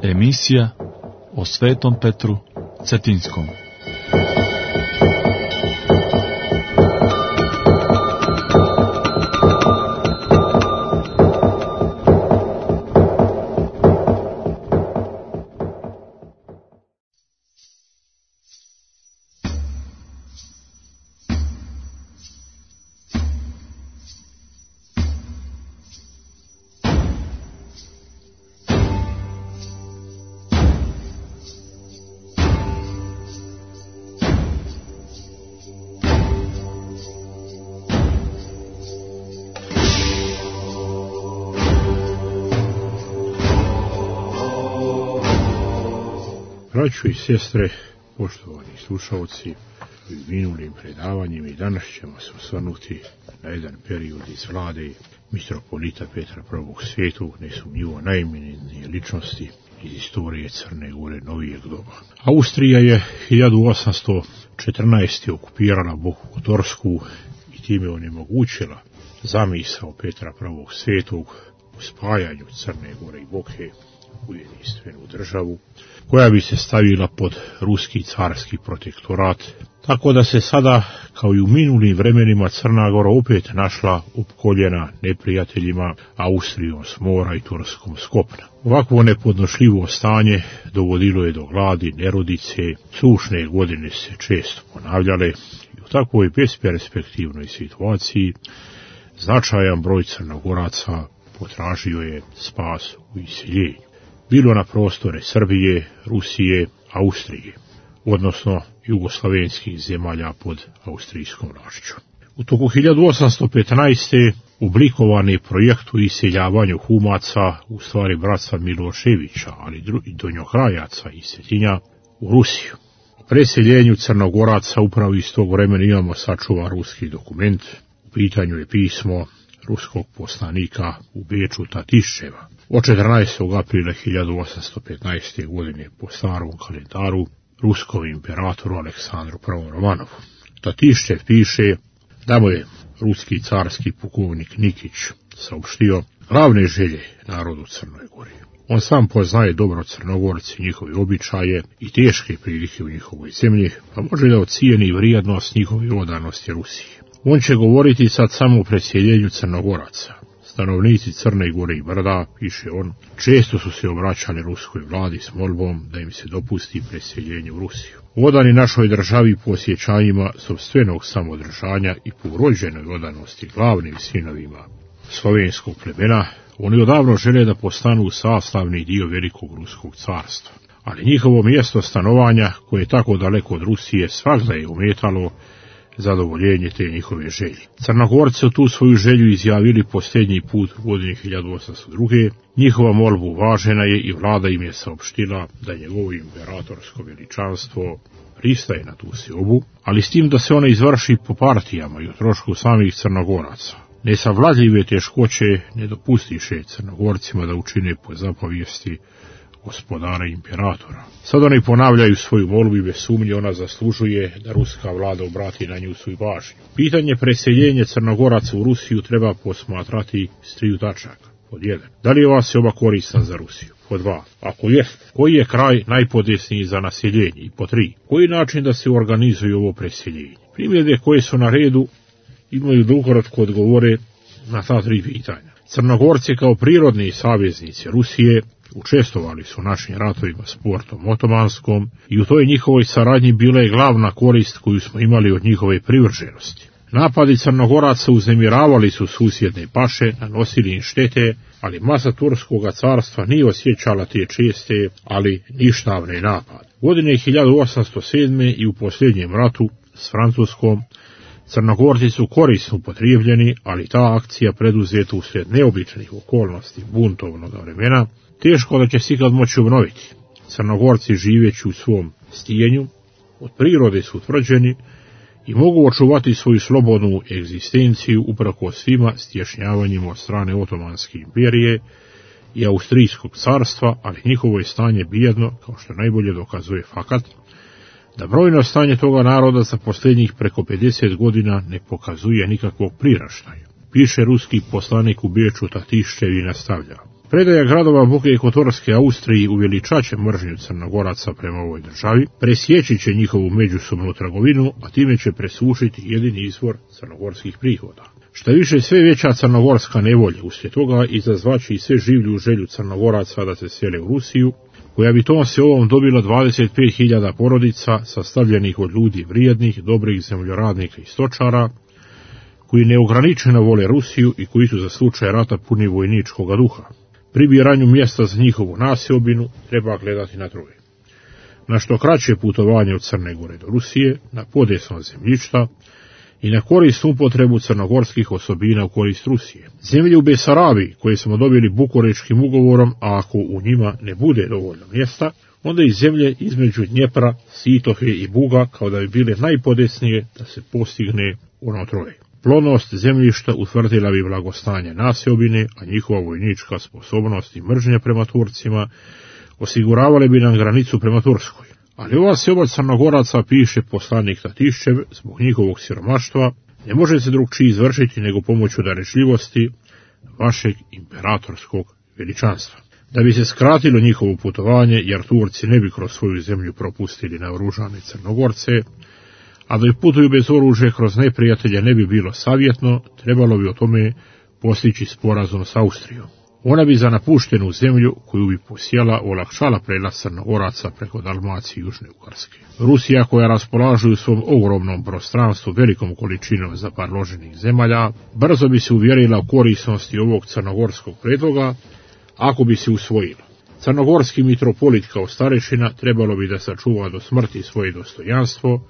Emisija o Svetom Petru Cetinskom. Braćo i sestre, poštovani slušalci, u minulim predavanjima i danas ćemo se osvrnuti na jedan period iz vlade mitropolita Petra I. Svetog, nesumnjivo najeminentnije ličnosti iz istorije Crne Gore novijeg doba. Austrija je 1814. okupirala Boku Kotorsku i time onemogućila zamisao Petra I. Svetog u spajanju Crne Gore i Boke u jedinstvenu državu, koja bi se stavila pod ruski carski protektorat, tako da se sada, kao i u minulim vremenima, Crna Gora opet našla opkoljena neprijateljima Austrijom s mora i Turskom s kopna. Ovakvo nepodnošljivo stanje dovodilo je do gladi, nerodice, sušne godine se često ponavljale i u takvoj besperspektivnoj situaciji značajan broj Crnogoraca potražio je spas u iseljenju, bilo na prostore Srbije, Rusije, Austrije, odnosno jugoslavenskih zemalja pod austrijskom vlašću. U toku 1815. oblikovan je projekt o iseljavanju Humaca, u stvari bratstva Miloševića, ali i Donjohrajaca i Cetinja, u Rusiju. O preseljenju Crnogoraca upravo iz tog vremena imamo sačuvan ruski dokument. U pitanju je pismo ruskog poslanika u Beču Tatiščeva od 14. aprila 1815. godine po starom kalendaru ruskom imperatoru Aleksandru I. Romanovu. Tatiščev piše da mu je ruski carski pukovnik Nikić saopštio glavne želje narodu Crnoj Gori. On sam poznaje dobro Crnogorci, njihove običaje i teške prilike u njihovoj zemlji, pa može da ocijeni vrijednost njihove odanosti Rusiji. On će govoriti sad samo o preseljenju Crnogoraca. Stanovnici Crne Gore i Brda, piše on, često su se obraćali ruskoj vladi s molbom da im se dopusti preseljenje u Rusiju. Odani našoj državi po osjećanjima sopstvenog samodržanja i po urođenoj odanosti glavnim sinovima slovenskog plemena, oni odavno žele da postanu sastavni dio velikog ruskog carstva. Ali njihovo mjesto stanovanja, koje je tako daleko od Rusije, svagda je ometalo zadovoljenje te njihove želje. Crnogorci su tu svoju želju izjavili posljednji put u godini 1802. Njihova molba uvažena je i vlada im je saopštila da njegovo imperatorsko veličanstvo pristaje na tu seobu, ali s tim da se ona izvrši po partijama i o trošku samih Crnogoraca. Nesavladljive teškoće ne dopustiše Crnogorcima da učine po zapovijesti gospodara imperatora. Sad oni ponavljaju svoju molbu i bez sumnje ona zaslužuje da ruska vlada obrati na nju svoju pažnju. Pitanje preseljenja Crnogoraca u Rusiju treba posmatrati s 3 tačaka. Pod 1. Da li je ova seoba korisna za Rusiju? Pod 2. Ako jest, koji je kraj najpodesniji za naseljenje? I pod 3. Koji način da se organizuje ovo preseljenje? Primjedbe koje su na redu imaju da ukratko odgovore na ta 3 pitanja. Crnogorci kao prirodni saveznici Rusije učestvovali su u našim ratovima s Portom Otomanskom i u toj njihovoj saradnji bila je glavna korist koju smo imali od njihove privrženosti. Napadi Crnogoraca uznemiravali su susjedne paše, nanosili im štete, ali masa Turskoga carstva nije osjećala te česte, ali ništavne napade. Godine 1807. i u posljednjem ratu s Francuskom Crnogorci su korisno upotrijebljeni, ali ta akcija preduzeta uslijed neobičnih okolnosti buntovnog vremena teško da će se ikad moći obnoviti. Crnogorci živeći u svom stijenju, od prirode su utvrđeni i mogu očuvati svoju slobodnu egzistenciju uprkos svima stješnjavanjima od strane Otomanske imperije i Austrijskog carstva, ali njihovo je stanje bijedno, kao što najbolje dokazuje fakat da brojno stanje toga naroda za posljednjih preko 50 godina ne pokazuje nikakvog priraštaja. Piše ruski poslanik u Beču Tatiščev i nastavlja. Predaja gradova Boke Kotorske Austriji uveličat će mržnju Crnogoraca prema ovoj državi, presjeći će njihovu međusobnu trgovinu, a time će presušiti jedini izvor crnogorskih prihoda. Šta više, sve veća crnogorska nevolja uslijed toga izazvaće i sve življu želju Crnogoraca da se sele u Rusiju, koja bi tom se ovom dobila 25.000 porodica sastavljenih od ljudi vrijednih, dobrih zemljoradnika i stočara, koji neograničeno vole Rusiju i koji su za slučaj rata puni vojničkog duha. Pri biranju mjesta za njihovu naseobinu treba gledati na troje. Na što kraće putovanje od Crne Gore do Rusije, na podesno zemljišta i na korist upotrebu crnogorskih osobina u korist Rusije. Zemlje u Besarabiji, koje smo dobili Bukureškim ugovorom, a ako u njima ne bude dovoljno mjesta, onda i zemlje između Dnjepra, Sitohe i Buga, kao da bi bile najpodesnije da se postigne ono troje. Plodnost zemljišta utvrdila bi blagostanje naseobine, a njihova vojnička sposobnost i mržnje prema Turcima osiguravale bi nam granicu prema Turskoj. Ali ova seoba Crnogoraca, piše poslanik Tatiščev, zbog njihovog siromaštva, ne može se drugčije izvršiti nego pomoću darežljivosti vašeg imperatorskog veličanstva. Da bi se skratilo njihovo putovanje, jer Turci ne bi kroz svoju zemlju propustili naoružane Crnogorce, a da putuju bez oružja kroz neprijatelje ne bi bilo savjetno, trebalo bi o tome postići sporazum s Austrijom. Ona bi za napuštenu zemlju koju bi posjela olakšala prelaz Crnogoraca preko Dalmacije i Južne Ugarske. Rusija, koja raspolaže u svom ogromnom prostranstvu velikom količinom zaparloženih zemalja, brzo bi se uvjerila u korisnosti ovog crnogorskog predloga ako bi se usvojila. Crnogorski mitropolit kao starešina trebalo bi da sačuva do smrti svoje dostojanstvo,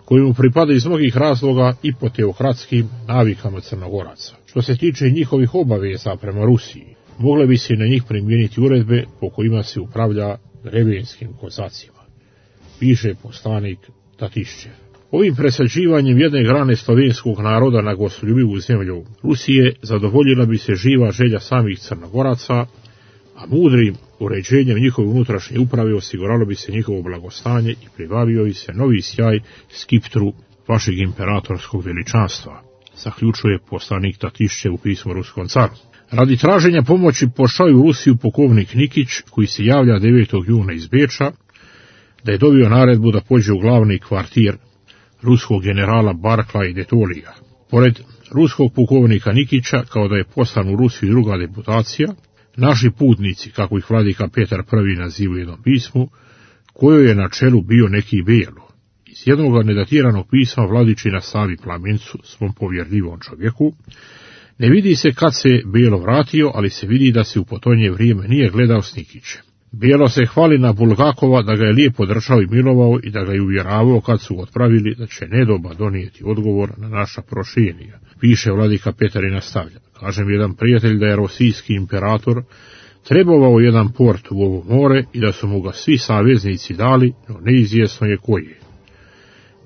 koji mu pripada iz mnogih razloga i po teokratskim navikama Crnogoraca. Što se tiče njihovih obaveza prema Rusiji, mogle bi se na njih primijeniti uredbe po kojima se upravlja drevenskim kozacima, piše poslanik Tatiščev. Ovim presađivanjem jedne grane slovenskog naroda na gostoljubivu zemlju Rusije zadovoljila bi se živa želja samih Crnogoraca, a mudrim uređenjem njihove unutrašnje uprave osiguralo bi se njihovo blagostanje i pribavio bi se novi sjaj skiptru vašeg imperatorskog veličanstva, zaključuje poslanik Tatiščev u pismu ruskom caru. Radi traženja pomoći pošao u Rusiju pukovnik Nikić, koji se javlja 9. juna iz Beča, da je dobio naredbu da pođe u glavni kvartir ruskog generala Barkla i Detolija. Pored ruskog pukovnika Nikića, kao da je poslan u Rusiju druga deputacija, naši putnici, kako ih vladika Petar I naziva u jednom pismu, kojoj je na čelu bio neki Belo. Iz jednog nedatiranog pisma vladičina Savi Plamencu, svom povjerljivom čovjeku, ne vidi se kad se Belo vratio, ali se vidi da se u potonje vrijeme nije gledao s Nikićem. Belo se hvali na Bulgakova da ga je lijepo držao i milovao i da ga je uvjeravao kad su otpravili da će nedoba donijeti odgovor na naša prošenija. Piše vladika Petar i nastavlja. Kažem jedan prijatelj da je rosijski imperator trebovao jedan port u ovo more i da su mu ga svi saveznici dali, no neizvjesno je koji je.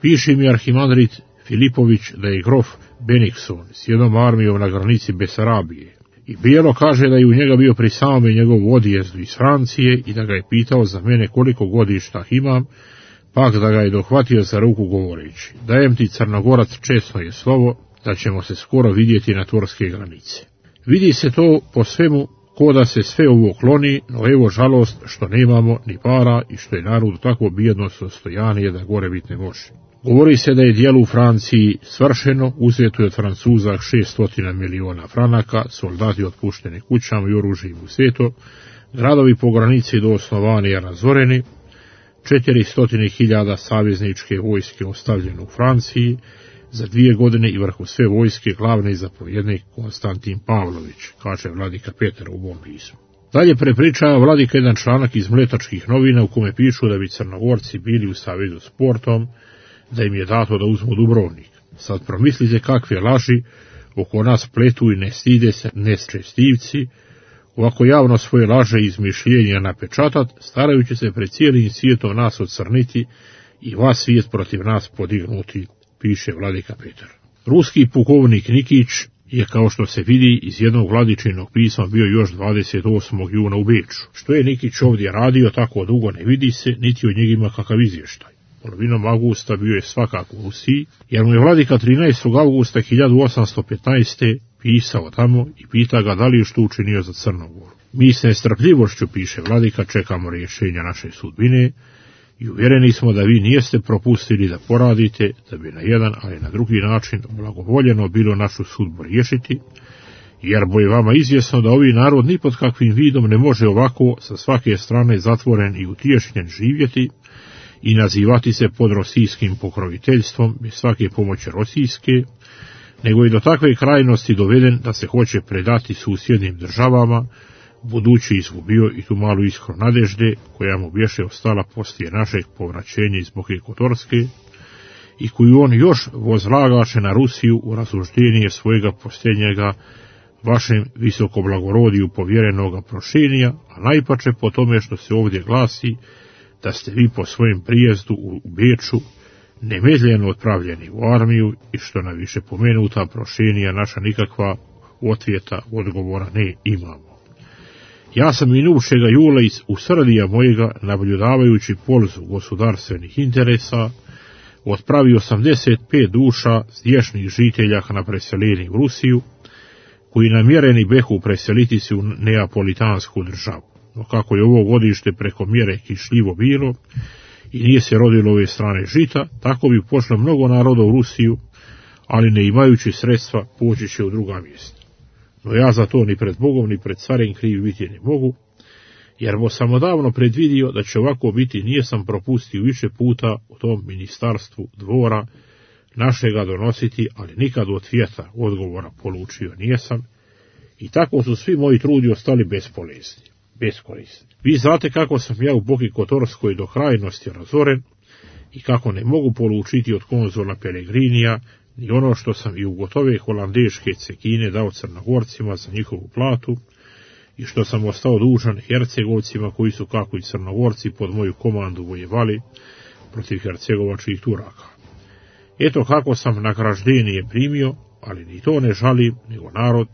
Piše mi arhimandrit Filipović da je grof Benikson s jednom armijom na granici Besarabije. I Bijelo kaže da je u njega bio pri samome njegovu odjezdu iz Francije i da ga je pitao za mene koliko godišta imam, pak da ga je dohvatio za ruku govoreći: dajem ti Crnogorac česno je slovo da ćemo se skoro vidjeti na turske granice. Vidi se to po svemu ko da se sve ovo kloni, no evo žalost što nemamo ni para i što je narod tako bijedno sostojanije da gore bit ne može. Govori se da je djelo u Franciji svršeno, uzeto je od Francuza 600 miliona franaka, soldati otpušteni kućama i oružjem u svetu, gradovi po granici do osnovani i razoreni, 400.000 savezničke vojske ostavljene u Franciji, za 2 godine i vrhu sve vojske glavni zapovjednik Konstantin Pavlović, kaže vladika Petar u ovom pismu. Dalje prepričava vladika jedan članak iz Mletačkih novina u kome pišu da bi Crnogorci bili u savezu s Portom, da im je dato da uzmu Dubrovnik. Sad promislite kakve laži oko nas pletu i ne stide se nečestivci, ovako javno svoje laže i izmišljenja napečatat, starajući se pred cijelim svijetom nas ocrniti i vas svijet protiv nas podignuti, piše vladika Petar. Ruski pukovnik Nikić je, kao što se vidi iz jednog vladičinog pisma, bio još 28. juna u Beču. Što je Nikić ovdje radio tako dugo ne vidi se, niti od njega ima kakav izvještaj. Polovinom avgusta bio je svakako u Rusiji, jer mu je vladika 13. augusta 1815. pisao tamo i pita ga da li je što učinio za Crnu Goru. Mi s nestrpljivošću, piše vladika, čekamo rješenja naše sudbine i uvjereni smo da vi nijeste propustili da poradite, da bi na jedan, ali na drugi način blagovoljeno bilo našu sudbu riješiti, jer bo je vama izvjesno da ovi narod ni pod kakvim vidom ne može ovako sa svake strane zatvoren i utješnjen živjeti i nazivati se pod rosijskim pokroviteljstvom bez svake pomoći rosijske, nego i do takve krajnosti doveden da se hoće predati susjednim državama, budući izgubio i tu malu iskru nadežde koja mu bješe ostala poslije našeg povraćenja iz Boke Kotorske i koju on još vozlagaše na Rusiju u razluždenije svojega posljednjega vašem visokoblagorodiju povjerenoga prošenja, a najpače po tome što se ovdje glasi da ste vi po svojem prijezdu u Beču nemedljeno otpravljeni u armiju i što na više pomenuta prošenja naša nikakva otvjeta odgovora ne imamo. Ja sam minušega jula iz usrdija mojega, nabljudajući polzu gospodarstvenih interesa, otpravio 85 duša zdješnih žitelja na preseljenje u Rusiju, koji namjereni behu preseliti se u neapolitansku državu. No kako je ovo godište preko mjere kišljivo bilo i nije se rodilo ove strane žita, tako bi pošlo mnogo naroda u Rusiju, ali ne imajući sredstva poći će u druga mjesta. No ja za to ni pred Bogom ni pred carem kriv biti ne mogu, jer bo sam odavno predvidio da će ovako biti, nije sam propustio više puta u tom ministarstvu dvora našega donositi, ali nikad od svijeta odgovora polučio nijesam, i tako su svi moji trudi ostali beskorisni. Vi znate kako sam ja u Boki Kotorskoj do krajnosti razoren i kako ne mogu polučiti od konzula Pelegrinija ni ono što sam i u gotove holandeške cekine dao Crnogorcima za njihovu platu i što sam ostao dužan Hercegovcima koji su kako i Crnogorci pod moju komandu vojevali protiv hercegovačkih Turaka. Eto kako sam nagraždenije primio, ali ni to ne žalim, nego narod,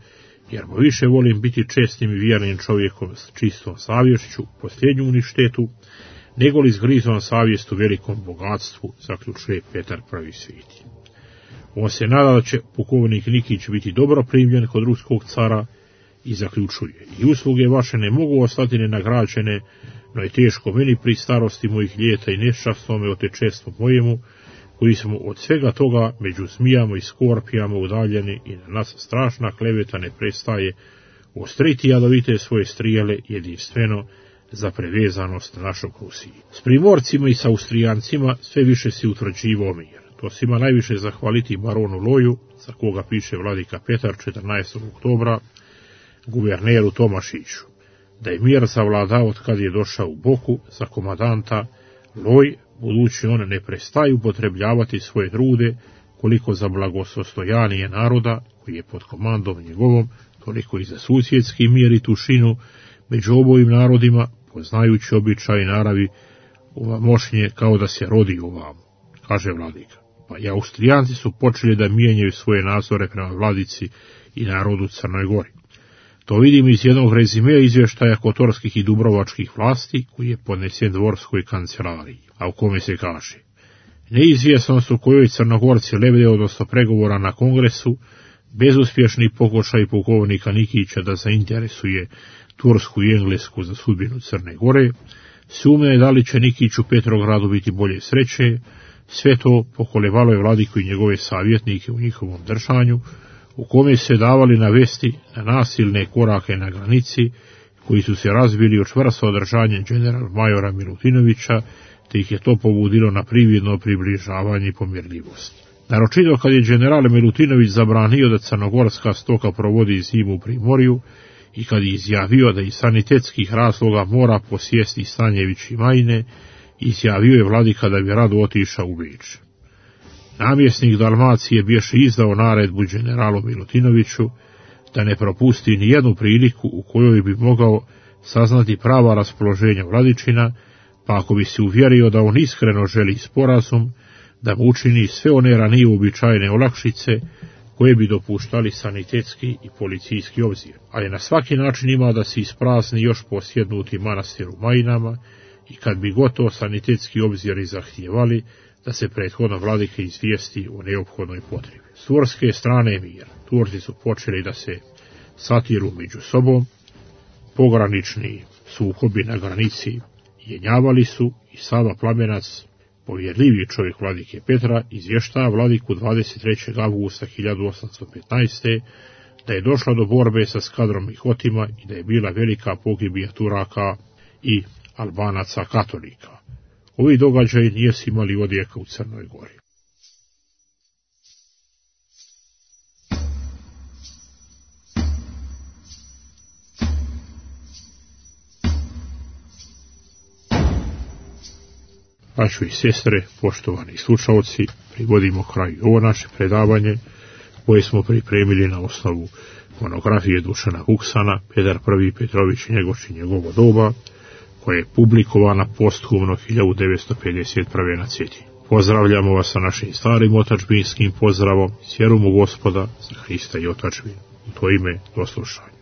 jer mu više volim biti čestnim i vjernim čovjekom s čistom savješću, posljednju uništetu, nego li zgrizom savjestu velikom bogatstvu, zaključuje Petar Prvi Sveti. On se nada da će pukovnik Nikić biti dobro primljen kod ruskog cara i zaključuje: i usluge vaše ne mogu ostati nenagrađene, no je teško meni pri starosti mojih ljeta i neščastnome otečestvu mojemu, koji smo od svega toga među zmijama i skorpijama udaljeni i na nas strašna kleveta ne prestaje ostriti jadovite svoje strijele jedinstveno za prevezanost našog Rusiji. S Primorcima i s Austrijancima sve više si utvrđivao mir. To se ima najviše zahvaliti baronu Loju, za koga piše vladika Petar 14. oktobra, guverneru Tomašiću, da je mir zavladao od kad je došao u Boku za komadanta Loj, budući on ne prestaju upotrebljavati svoje trude koliko za blagosostojanije naroda, koji je pod komandom njegovom, toliko i za susjedski mir i tušinu među obojim narodima, poznajući običaj i naravi ova mošnje kao da se rodi ovamo, kaže vladika. Pa i Austrijanci su počeli da mijenjaju svoje nazore prema vladici i narodu Crnoj Gori. To vidim iz jednog rezimea izvještaja kotorskih i dubrovačkih vlasti, koji je podnesen dvorskoj kancelariji, a u kome se kaže: neizvjesno su kojoj Crnogorci lebde odnosno pregovora na kongresu, bezuspješni pokušaj pukovnika Nikića da zainteresuje Tursku i Englesku za sudbinu Crne Gore, sumnje da li će Nikić u Petrogradu biti bolje sreće, sve to pokolevalo je vladiku i njegove savjetnike u njihovom držanju, u kome se davali navesti na nasilne korake na granici, koji su se razbili u čvrsto održanje general majora Milutinovića, te ih je to pobudilo na prividno približavanje i pomirljivost. Naročito kad je general Milutinović zabranio da crnogorska stoka provodi zimu u Primorju i kad je izjavio da iz sanitetskih razloga mora posjesti Stanjević i Majine, izjavio je vladika da bi rado otišao u Beč. Namjesnik Dalmacije bješe izdao naredbu generalu Milutinoviću da ne propusti ni jednu priliku u kojoj bi mogao saznati prava raspoloženja vladičina, pa ako bi se uvjerio da on iskreno želi sporazum, da mu učini sve one ranije uobičajene olakšice koje bi dopuštali sanitetski i policijski obzir, ali na svaki način ima da se isprazni još posjednuti manastir u Majinama i kad bi gotovo sanitetski obziri zahtijevali da se prethodno vladike izvijesti o neophodnoj potrebi. S turske strane mir. Turci su počeli da se satiru među sobom, pogranični sukobi na granici jenjavali su i Sava Plamenac, povjerljiviji čovjek vladike Petra, izvještava vladiku 23. avgusta 1815. da je došla do borbe sa skadrom Mihotima i da je bila velika pogibija Turaka i Albanaca katolika. Ovi događaji nisu imali odjeka u Crnoj Gori. Braćo i sestre, poštovani slušalci, privodimo kraju ovo naše predavanje koje smo pripremili na osnovu monografije Dušana Vuksana, Petar I. Petrović Njegoš i njegovo doba, koja je publikovana posthumno 1951. na Cetinju. Pozdravljamo vas sa našim starim otadžbinskim pozdravom, s vjerom u Gospoda, za Hrista i otadžbinu. U to ime, do slušanja.